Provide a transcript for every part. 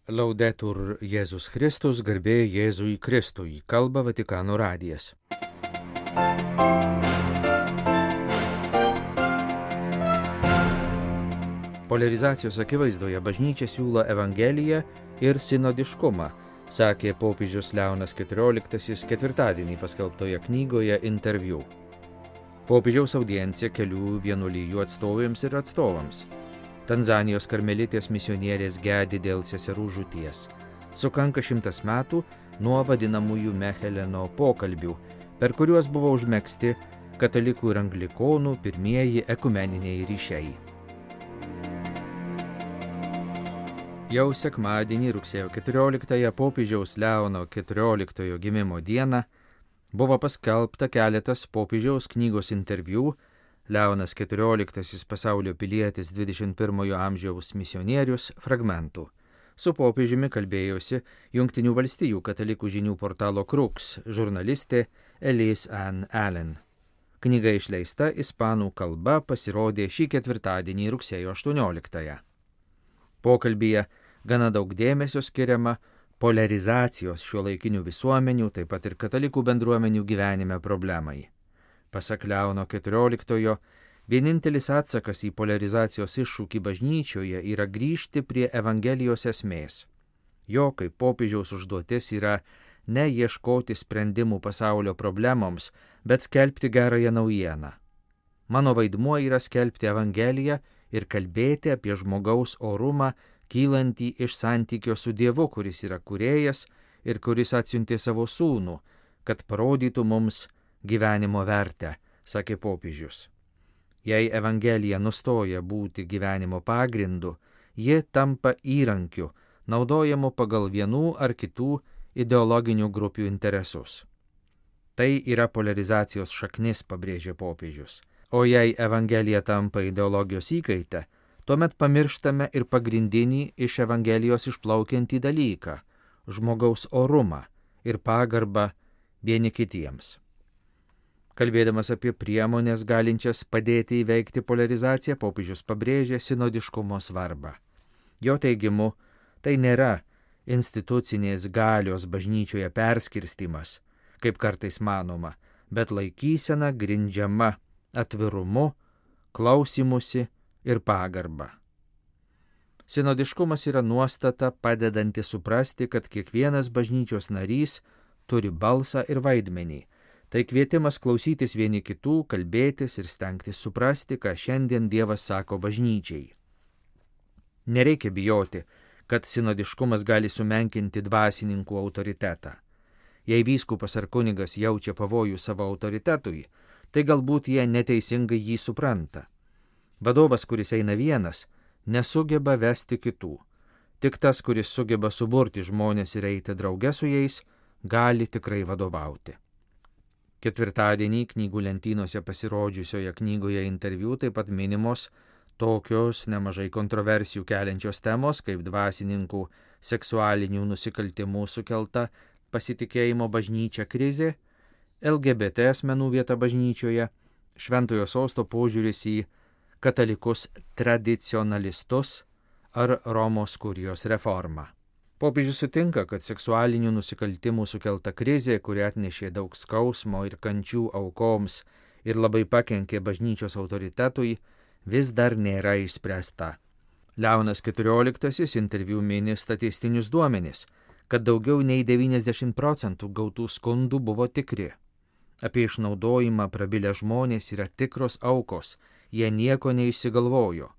Laudetur Jėzus Kristus, garbė Jėzui Kristui, kalba Vatikano radijas. Poliarizacijos akivaizdoje bažnyčia siūlo evangeliją ir sinodiškumą, sakė popiežius Leonas XIV ketvirtadienį paskelbtoje knygoje interviu. Popiežiaus audiencija kelių vienuolijų atstovėms ir atstovams. Tanzanijos karmelitės misionierės gedi dėl seserų žūties. Sukanka 100 metų nuo vadinamųjų Meheleno pokalbių, per kuriuos buvo užmegzti katalikų ir anglikonų pirmieji ekumeniniai ryšiai. Jau sekmadienį rugsėjo 14-ąją popiežiaus Leono XIV gimimo dieną buvo paskelbta keletas popiežiaus knygos interviu Leonas XIV pasaulio pilietis 21 amžiaus misionierius fragmentų. Su popiežiumi kalbėjosi Jungtinių valstijų katalikų žinių portalo Crux žurnalistė Elise Ann Allen. Knyga išleista ispanų kalba pasirodė šį ketvirtadienį rugsėjo 18-ąją. Pokalbyje gana daug dėmesio skiriama poliarizacijos šiuolaikinių visuomenių, taip pat ir katalikų bendruomenių gyvenime problemai. Pasak Leono XIV, vienintelis atsakas į poliarizacijos iššūkį bažnyčioje yra grįžti prie Evangelijos esmės. Jo kaip popiežiaus užduotis yra ne ieškoti sprendimų pasaulio problemoms, bet skelbti gerąją naujieną. Mano vaidmuo yra skelbti Evangeliją ir kalbėti apie žmogaus orumą, kylantį iš santykio su Dievu, kuris yra kūrėjas ir kuris atsiuntė savo sūnų, kad parodytų mums gyvenimo vertę, sakė popiežius. Jei Evangelija nustoja būti gyvenimo pagrindu, ji tampa įrankiu, naudojamu pagal vienų ar kitų ideologinių grupių interesus. Tai yra poliarizacijos šaknis, pabrėžė popiežius. O jei Evangelija tampa ideologijos įkaite, tuomet pamirštame ir pagrindinį iš Evangelijos išplaukiantį dalyką – žmogaus orumą ir pagarbą vieni kitiems. Kalbėdamas apie priemonės galinčias padėti įveikti poliarizaciją, popiežius pabrėžė sinodiškumo svarbą. Jo teigimu, tai nėra institucinės galios bažnyčioje perskirstimas, kaip kartais manoma, bet laikysena grindžiama atvirumu, klausimusi ir pagarba. Sinodiškumas yra nuostata padedanti suprasti, kad kiekvienas bažnyčios narys turi balsą ir vaidmenį. Tai kvietimas klausytis vieni kitų, kalbėtis ir stengtis suprasti, ką šiandien Dievas sako bažnyčiai. Nereikia bijoti, kad sinodiškumas gali sumenkinti dvasininkų autoritetą. Jei vyskupas ar kunigas jaučia pavojų savo autoritetui, tai galbūt jie neteisingai jį supranta. Vadovas, kuris eina vienas, nesugeba vesti kitų. Tik tas, kuris sugeba suburti žmonės ir eiti drauge su jais, gali tikrai vadovauti. Ketvirtadienį knygų lentynose pasirodžiusioje knygoje interviu taip pat minimos tokios nemažai kontroversijų keliančios temos kaip dvasininkų seksualinių nusikaltimų sukelta pasitikėjimo bažnyčia krizė, LGBT asmenų vieta bažnyčioje, Šventojo Sosto požiūris į katalikus tradicionalistus ar Romos kurijos reformą. Popiežius sutinka, kad seksualinių nusikaltimų sukelta krizė, kuri atnešė daug skausmo ir kančių aukoms ir labai pakenkė bažnyčios autoritetui, vis dar nėra išspręsta. Leonas XIV interviu mini statistinius duomenis, kad daugiau nei 90% gautų skundų buvo tikri. Apie išnaudojimą prabilę žmonės yra tikros aukos, jie nieko neišsigalvojo.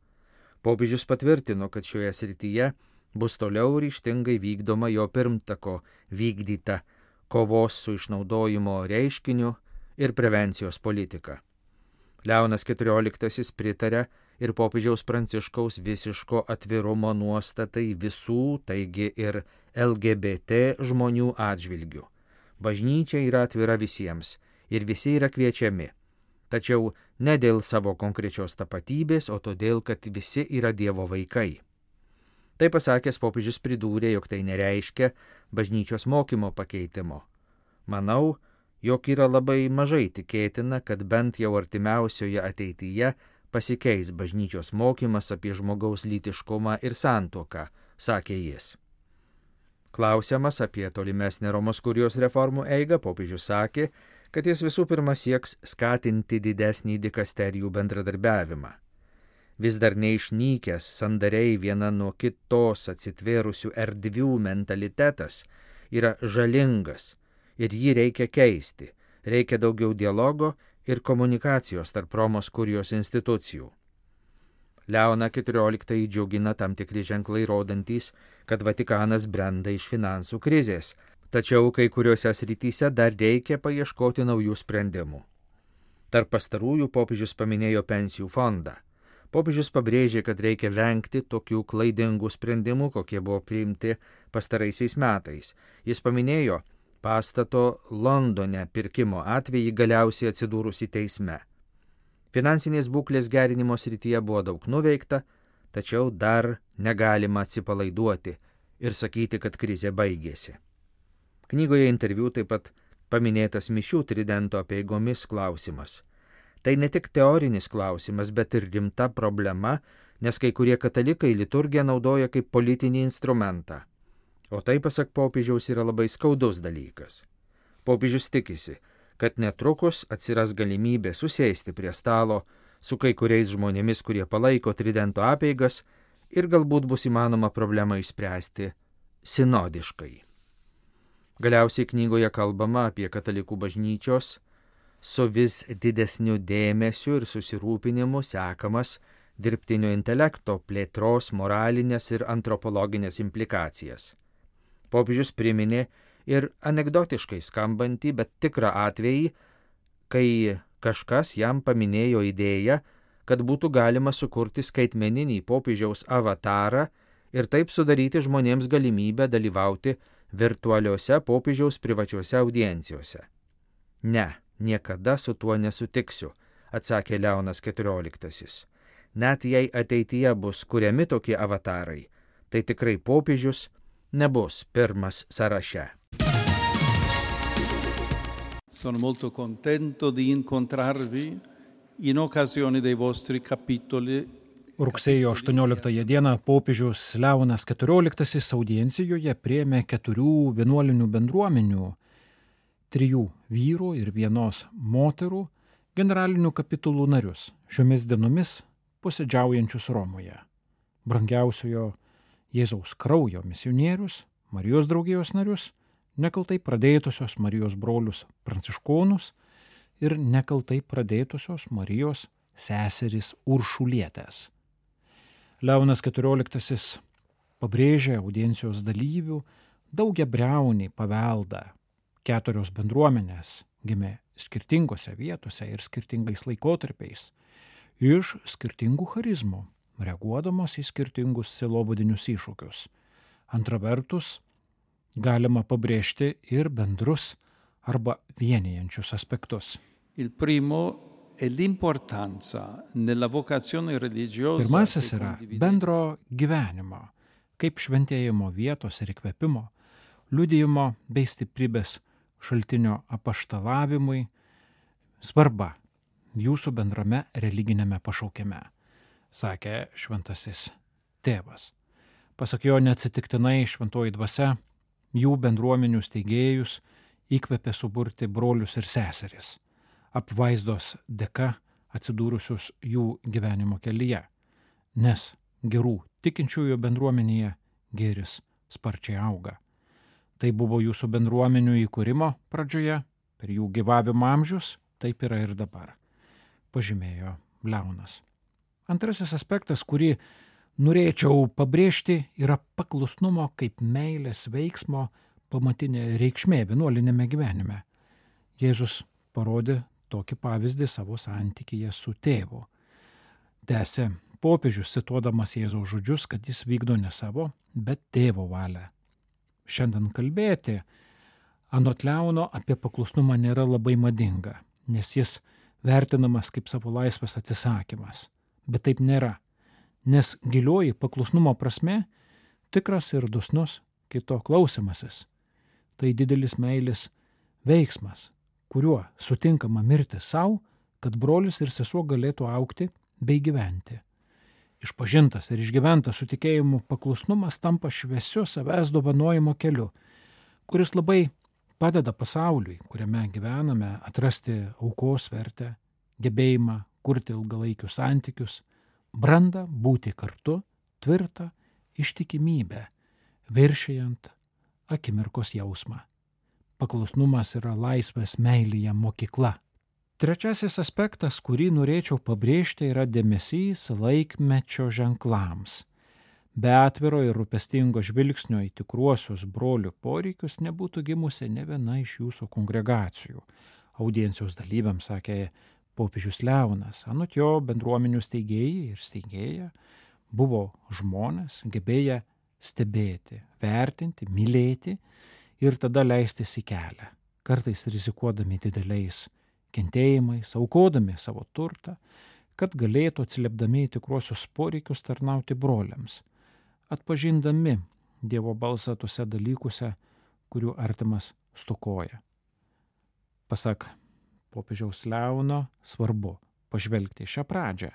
Popiežius patvirtino, kad šioje srityje bus toliau ryžtingai vykdoma jo pirmtako vykdyta kovos su išnaudojimo reiškiniu ir prevencijos politika. Leonas XIV pritarė ir popiežiaus Pranciškaus visiško atvirumo nuostatai visų, taigi ir LGBT žmonių atžvilgių. Bažnyčia yra atvira visiems ir visi yra kviečiami, tačiau ne dėl savo konkrečios tapatybės, o todėl, kad visi yra Dievo vaikai. Tai pasakęs popiežius pridūrė, jog tai nereiškia bažnyčios mokymo pakeitimo. Manau, jog yra labai mažai tikėtina, kad bent jau artimiausioje ateityje pasikeis bažnyčios mokymas apie žmogaus lytiškumą ir santuoką, sakė jis. Klausiamas apie tolimesnę Romos kurijos reformų eigą, popiežius sakė, kad jis visų pirma sieks skatinti didesnį dikasterijų bendradarbiavimą. Vis dar neišnykęs sandariai viena nuo kitos atsitvėrusių erdvių mentalitetas yra žalingas ir jį reikia keisti, reikia daugiau dialogo ir komunikacijos tarp Romos kurijos institucijų. Leoną XIV džiugina tam tikri ženklai rodantys, kad Vatikanas brenda iš finansų krizės, tačiau kai kuriuose srityse dar reikia paieškoti naujų sprendimų. Tarp pastarųjų popiežius paminėjo pensijų fondą. Popiežius pabrėžė, kad reikia vengti tokių klaidingų sprendimų, kokie buvo priimti pastaraisiais metais. Jis paminėjo pastato Londone pirkimo atvejį galiausiai atsidūrusi teisme. Finansinės būklės gerinimo srityje buvo daug nuveikta, tačiau dar negalima atsipalaiduoti ir sakyti, kad krizė baigėsi. Knygoje interviu taip pat paminėtas mišių tridento apeigomis klausimas. Tai ne tik teorinis klausimas, bet ir rimta problema, nes kai kurie katalikai liturgiją naudoja kaip politinį instrumentą. O tai, pasak popiežiaus, yra labai skaudus dalykas. Popiežius tikisi, kad netrukus atsiras galimybė susėsti prie stalo su kai kuriais žmonėmis, kurie palaiko tridento apeigas ir galbūt bus įmanoma problemą išspręsti sinodiškai. Galiausiai knygoje kalbama apie katalikų bažnyčios su vis didesniu dėmesiu ir susirūpinimu sekamas dirbtinio intelekto plėtros moralinės ir antropologinės implikacijas. Popiežius priminė ir anekdotiškai skambantį, bet tikrą atvejį, kai kažkas jam paminėjo idėją, kad būtų galima sukurti skaitmeninį popiežiaus avatarą ir taip sudaryti žmonėms galimybę dalyvauti virtualiuose popiežiaus privačiuose audiencijose. Ne, niekada su tuo nesutiksiu, atsakė Leonas XIV. Net jei ateityje bus kuriami tokie avatarai, tai tikrai popiežius nebus pirmas sąraše. Sono molto contento di incontrarvi in occasione dei vostri capitoli. Rugsėjo 18 dieną popiežius Leonas XIV audiencijoje priėmė 4 vienuolinių bendruomenių, 3 vyrų ir 1 moterų generalinių kapitulų narius, šiomis dienomis posėdžiaujančius Romoje. Brangiausiojo Jėzaus kraujo misionierius, Marijos draugijos narius, nekaltai pradėtusios Marijos brolius pranciškonus ir nekaltai pradėtusios Marijos seserys Uršulietės. Leonas XIV pabrėžė audiencijos dalyvių daugiabriaunį paveldą. 4 bendruomenės gimė skirtingose vietose ir skirtingais laikotarpiais, iš skirtingų charizmų, reaguodamos į skirtingus sielovadinius iššūkius. Antra vertus, galima pabrėžti ir bendrus arba vienijančius aspektus. Il primo è l'importanza nella vocazione religiosa. Pirmasis yra bendro gyvenimo, kaip šventėjimo vietos ir įkvėpimo, liudijimo bei stiprybės šaltinio apaštalavimui svarba jūsų bendrame religinėme pašaukime, sakė šventasis tėvas. Pasak jo, neatsitiktinai šventoji dvasia jų bendruomenių steigėjus įkvėpė suburti brolius ir seseris, apvaizdos dėka atsidūrusius jų gyvenimo kelyje, nes gerų tikinčiųjų bendruomenėje gėris sparčiai auga. Tai buvo jūsų bendruomenių įkūrimo pradžioje, per jų gyvavimo amžius, taip yra ir dabar, pažymėjo Leonas. Antrasis aspektas, kurį norėčiau pabrėžti, yra paklusnumo kaip meilės veiksmo pamatinė reikšmė vienuolinėme gyvenime. Jėzus parodė tokį pavyzdį savo santykyje su tėvu. Tęsė popiežius, cituodamas Jėzaus žodžius, kad jis vykdo ne savo, bet tėvo valią. Šiandien kalbėti anot Leono apie paklusnumą nėra labai madinga, nes jis vertinamas kaip savo laisvės atsisakymas. Bet taip nėra, nes gilioji paklusnumo prasme tikras ir dosnus kito klausimasis. Tai didelis meilės veiksmas, kuriuo sutinkama mirti savo, kad brolis ir sesuo galėtų augti bei gyventi. Išpažintas ir išgyventas su tikėjimu paklusnumas tampa šviesiu savęs dovanojimo keliu, kuris labai padeda pasauliui, kuriame gyvename, atrasti aukos vertę, gebėjimą kurti ilgalaikius santykius, brandą būti kartu, tvirtą ištikimybę, viršijant akimirkos jausmą. Paklusnumas yra laisvės meilėje mokykla. Trečiasis aspektas, kurį norėčiau pabrėžti, yra dėmesys laikmečio ženklams. Be atviro ir rūpestingo žvilgsnio į tikruosius brolių poreikius nebūtų gimusi ne viena iš jūsų kongregacijų. Audiencijos dalyviams sakė popiežius Leonas. Anot jo, bendruomenių steigėjai ir steigėja buvo žmonės, gebėję stebėti, vertinti, mylėti ir tada leistis į kelią, kartais rizikuodami dideliais kentėjimais, aukodami savo turtą, kad galėtų atsiliepdami į tikruosius poreikius tarnauti broliams, atpažindami Dievo balsą tuose dalykuose, kurių artimas stokoja. Pasak popiežiaus Leono, svarbu pažvelgti šią pradžią,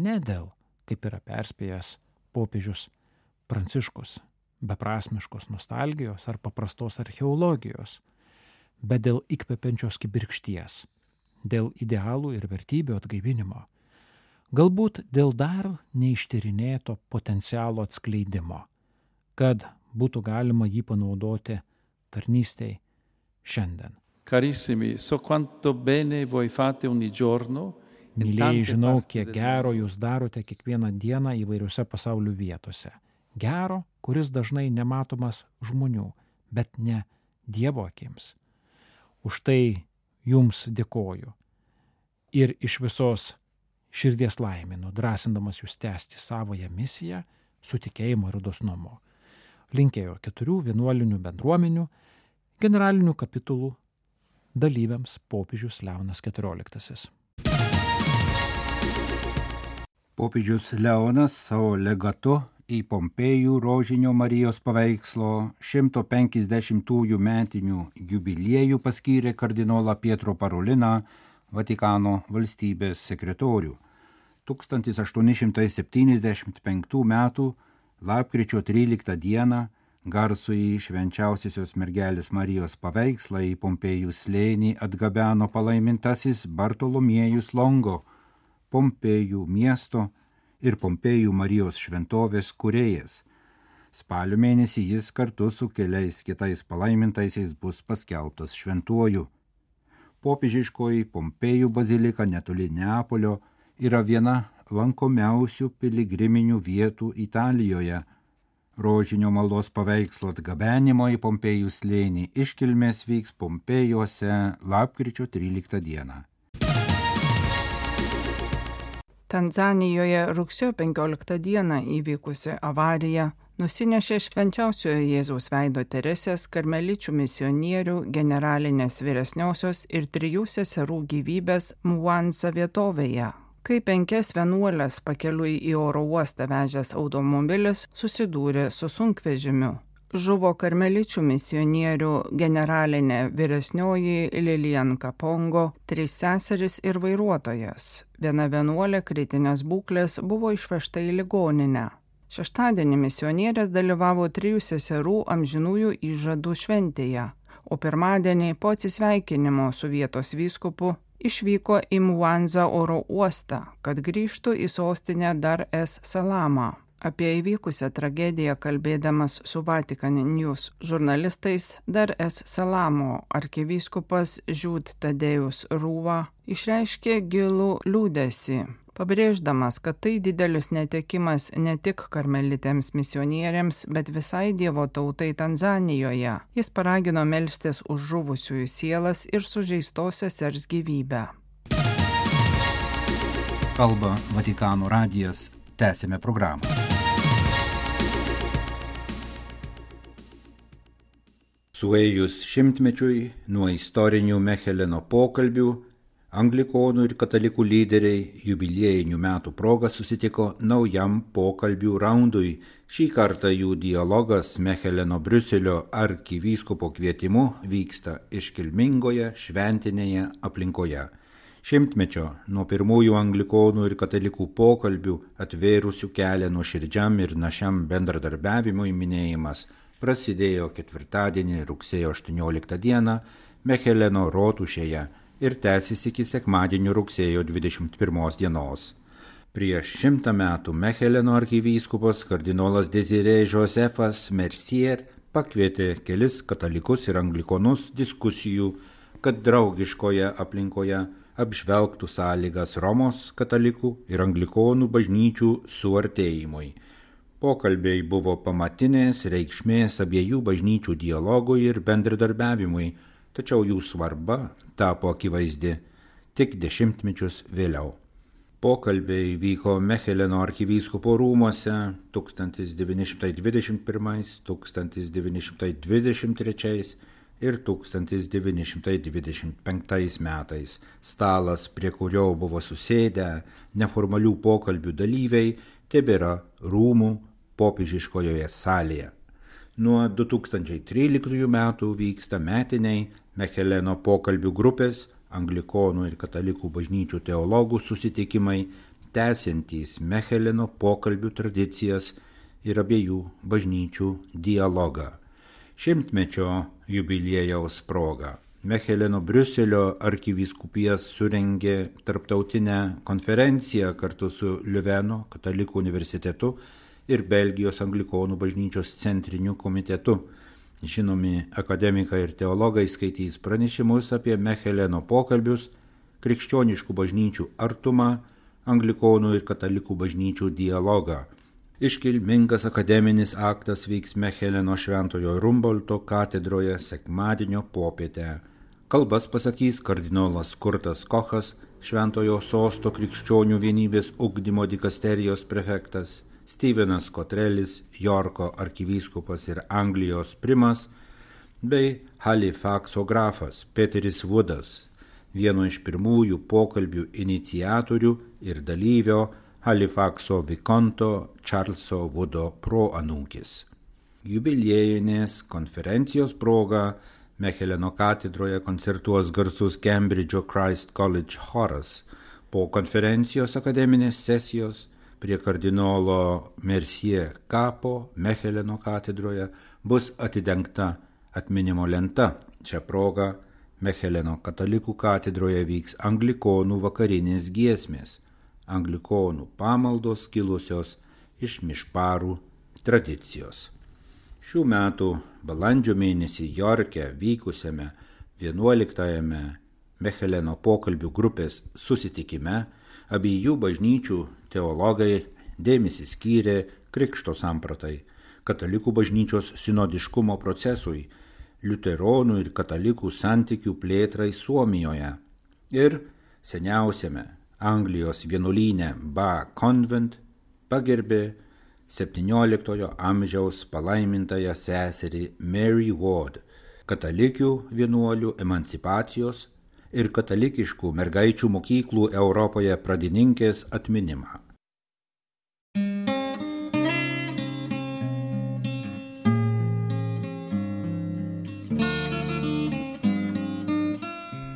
ne dėl, kaip yra perspėjęs popiežius Pranciškus, beprasmiškos nostalgijos ar paprastos archeologijos, bet dėl įkvepiančios kibirkšties, dėl idealų ir vertybių atgaivinimo, galbūt dėl dar neištyrinėto potencialo atskleidimo, kad būtų galima jį panaudoti tarnystei šiandien. Carissimi, so quanto bene voi fate ogni giorno. Mylėjai, žinau, kiek gero jūs darote kiekvieną dieną įvairiose pasaulio vietose. Gero, kuris dažnai nematomas žmonių, bet ne Dievo akims. Už tai jums dėkoju ir iš visos širdies laiminu, drąsindamas jūs tęsti savoją misiją su tikėjimu ir dosnumu. Linkėjo 4 vienuolinių bendruomenių generalinių kapitulų dalyviams popiežius Leonas XIV. Popiežius Leonas savo legatu į Pompėjų Rožinio Marijos paveikslo 150-ųjų metinių jubiliejų paskyrė kardinolą Pietro Paroliną, Vatikano valstybės sekretorių. 1875 m. lapkričio 13 d. garsųjį švenčiausiosios mergelės Marijos paveikslą į Pompėjų slėnį atgabeno palaimintasis Bartolomiejus Longo, Pompėjų miesto ir Pompėjų Marijos šventovės kūrėjas. Spalio mėnesį jis kartu su keliais kitais palaimintaisiais bus paskelbtas šventuoju. Popiežiškoji Pompėjų bazilika netoli Neapolio yra viena lankomiausių piligriminių vietų Italijoje. Rožinio maldos paveikslo atgabenimo į Pompėjų slėnį iškilmės vyks Pompėjuose lapkričio 13 d. Tanzanijoje rugsėjo 15 d. įvykusi avarija nusinešė švenčiausiojo Jėzaus veido Teresės karmeličių misionierių generalinės vyresniosios ir 3 seserų gyvybės Mwanza vietovėje, kai 5 vienuolės pakeliui į oro uostą vežęs automobilis susidūrė su sunkvežimiu. Žuvo karmeličių misionierių generalinė vyresnioji Lilian Kapongo, 3 seserys ir vairuotojas. Viena vienuolė kritinės būklės buvo išvežta į ligoninę. Šeštadienį misionierės dalyvavo 3 seserų amžinųjų įžadų šventėje, o pirmadienį po atsisveikinimo su vietos vyskupu išvyko į Mwanza oro uostą, kad grįžtų į sostinę Dar es Salamą. Apie įvykusią tragediją kalbėdamas su Vatican News žurnalistais, Dar es Salamo arkivyskupas Jude Tadėjus Rūva išreiškė gilų liūdesį, pabrėždamas, kad tai didelis netekimas ne tik karmelitėms misionieriams, bet visai Dievo tautai Tanzanijoje. Jis paragino melstis už žuvusiųjų sielas ir sužeistos sesers gyvybę. Kalba Vatikano radijas. Tęsime programą. Suėjus 100-mečiui nuo istorinių Mecheleno pokalbių, anglikonų ir katalikų lyderiai jubiliejinių metų proga susitiko naujam pokalbių raundui. Šį kartą jų dialogas Mecheleno Briuselio arkivyskupo kvietimu vyksta iškilmingoje šventinėje aplinkoje. Šimtmečio nuo pirmųjų anglikonų ir katalikų pokalbių atvėrusių kelią nuoširdžiam ir našiam bendradarbiavimui minėjimas prasidėjo ketvirtadienį rugsėjo 18 dieną Mecheleno rotušėje ir tęsis iki sekmadienio rugsėjo 21 dienos. Prieš 100 metų Mecheleno arkivyskupas kardinolas Désiré Josefas Mercier pakvietė kelis katalikus ir anglikonus diskusijų, kad draugiškoje aplinkoje apžvelgtų sąlygas Romos katalikų ir anglikonų bažnyčių suartėjimui. Pokalbiai buvo pamatinės reikšmės abiejų bažnyčių dialogui ir bendradarbiavimui, tačiau jų svarba tapo akivaizdi tik 10 mečius vėliau. Pokalbiai vyko Mecheleno arkivyskupo rūmuose 1921, 1923 ir 1925 metais. Stalas, prie kurio buvo susėdę neformalių pokalbių dalyviai, tebėra rūmų popiežiškojoje salėje. Nuo 2013 metų vyksta metiniai Mecheleno pokalbių grupės, anglikonų ir katalikų bažnyčių teologų susitikimai, tęsiantys Mecheleno pokalbių tradicijas ir abiejų bažnyčių dialogą. 100-mečio jubiliejaus proga Mecheleno Briuselio arkivyskupijas surengė tarptautinę konferenciją kartu su Liuveno katalikų universitetu ir Belgijos anglikonų bažnyčios centriniu komitetu. Žinomi akademikai ir teologai skaitys pranešimus apie Mecheleno pokalbius, krikščioniškų bažnyčių artumą, anglikonų ir katalikų bažnyčių dialogą. Iškilmingas akademinis aktas vyks Mecheleno Šventojo Rumbolto katedroje sekmadienio popietę. Kalbas pasakys kardinolas Kurtas Kochas, Šventojo Sosto krikščionių vienybės ugdymo dikasterijos prefektas, Stevenas Kotrelis, Jorko arkivyskupas ir Anglijos primas, bei Halifaxo grafas Peteris Woodas, vieno iš pirmųjų pokalbių iniciatorių ir dalyvio Halifaxo vikonto Čarlzo Woodo proanūkis. Jubiliejinės konferencijos proga Mecheleno katedroje koncertuos garsus Cambridge'o Christ College choras. Po konferencijos akademinės sesijos prie kardinolo Mercier kapo Mecheleno katedroje bus atidengta atminimo lenta. Šią progą Mecheleno katalikų katedroje vyks anglikonų vakarinės giesmės, anglikonų pamaldos kilusios iš mišparų tradicijos. Šių metų balandžio mėnesį Jorke vykusiame 11-ame Mecheleno pokalbių grupės susitikime abiejų bažnyčių teologai dėmesį skyrė krikšto sampratai, katalikų bažnyčios sinodiškumo procesui, liuteronų ir katalikų santykių plėtrai Suomijoje ir seniausiame Anglijos vienuolyne Ba Convent pagerbė 17 amžiaus palaimintąją seserį Mary Ward, katalikių vienuolių emancipacijos ir katalikiškų mergaičių mokyklų Europoje pradininkės atminimą.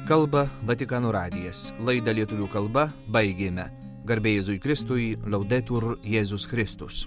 Kalba Vatikano radijas. Laidą lietuvių kalba baigėme. Garbė Jėzui Kristui, Laudetur Jėzus Kristus.